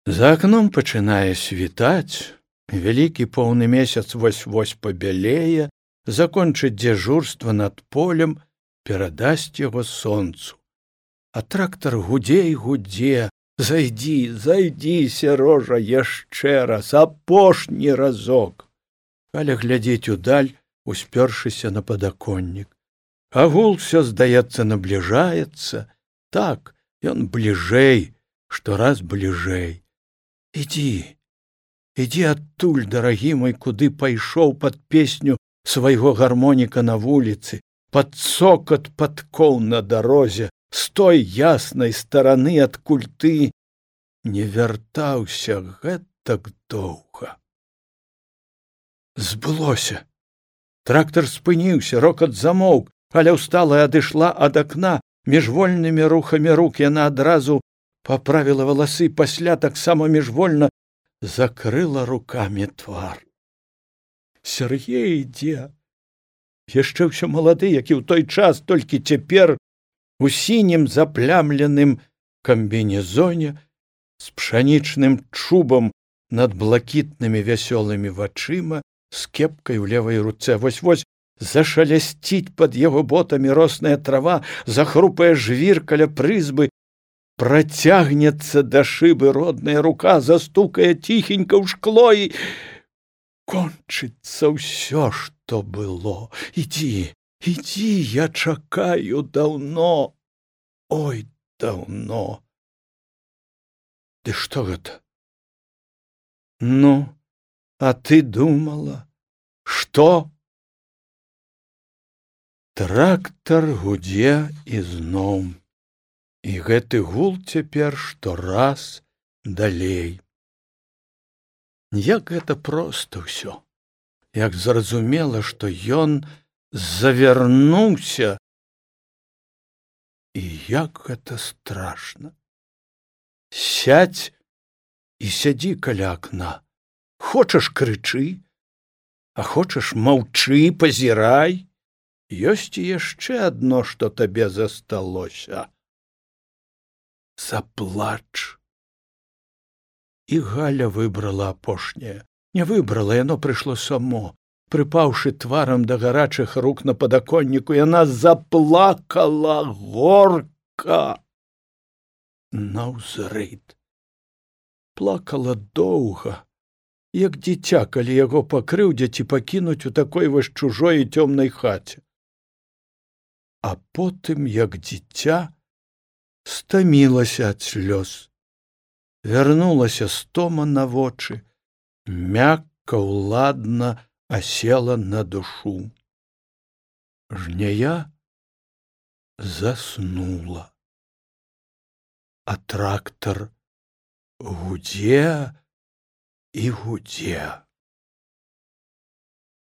За акном пачынае світаць, вялікі поўны месяц вось-вось пабялее, закончыць дзяжурства над полем, перадасць яго сонцу. А трактар гудзе і гудзе: «Зайдзі, зайдзі, Сярожа, яшчэ раз, апошні разок!» Галя глядзіць удаль, успёршыся на падаконнік. А гул всё, здаецца, набліжаецца. Так, ён бліжэй, штораз бліжэй. Ідзі, ідзі адтуль, дарагі мой, куды пайшоў пад песню свайго гармоніка на вуліцы, пад цокат падкоў на дарозе, з той яснай стараны, адкуль ты не вяртаўся гэтак доўга. Збылося. Трактар спыніўся, рокат замоўк, Галя ўстала і адышла ад акна. Міжвольнымі рухамі рук яна адразу паправіла валасы, пасля таксама міжвольна закрыла рукамі твар. Сяргей ідзе, яшчэ ўсё малады, як і ў той час, толькі цяпер у сінім заплямленым камбінезоне з пшанічным чубам над блакітнымі вясёлымі вачыма, з кепкай у левай руцэ. Вось-вось зашалясціць пад яго ботамі росная трава, захрупае жвір каля прызбы, працягнецца да шыбы родная рука, застукае ціхенька ў шкло і кончыцца ўсё, што было. Ідзі, ідзі, я чакаю даўно, ой, даўно. Ды што гэта? Ну, а ты думала, што? Трактар гудзе ізноў. І гэты гул цяпер штораз далей. Як гэта проста ўсё, як зразумела, што ён завярнуўся, і як гэта страшна. Сядзь і сядзі каля акна. Хочаш крычы, а хочаш маўчы, пазірай. Ёсць і яшчэ адно, што табе засталося. Заплач. І Галя выбрала апошняе. Не выбрала, яно прыйшло само. Прыпаўшы тварам да гарачых рук на падаконніку, яна заплакала горка. Наўзрыд. Плакала доўга, як дзіця, калі яго пакрыўдзяць і пакінуць у такой вось чужой і цёмнай хаце. А потым, як дзіця, стамілася ад слёз. Вярнулася стома на вочы, мякка, уладна асела на душу. Жняя заснула. А трактар гудзе і гудзе.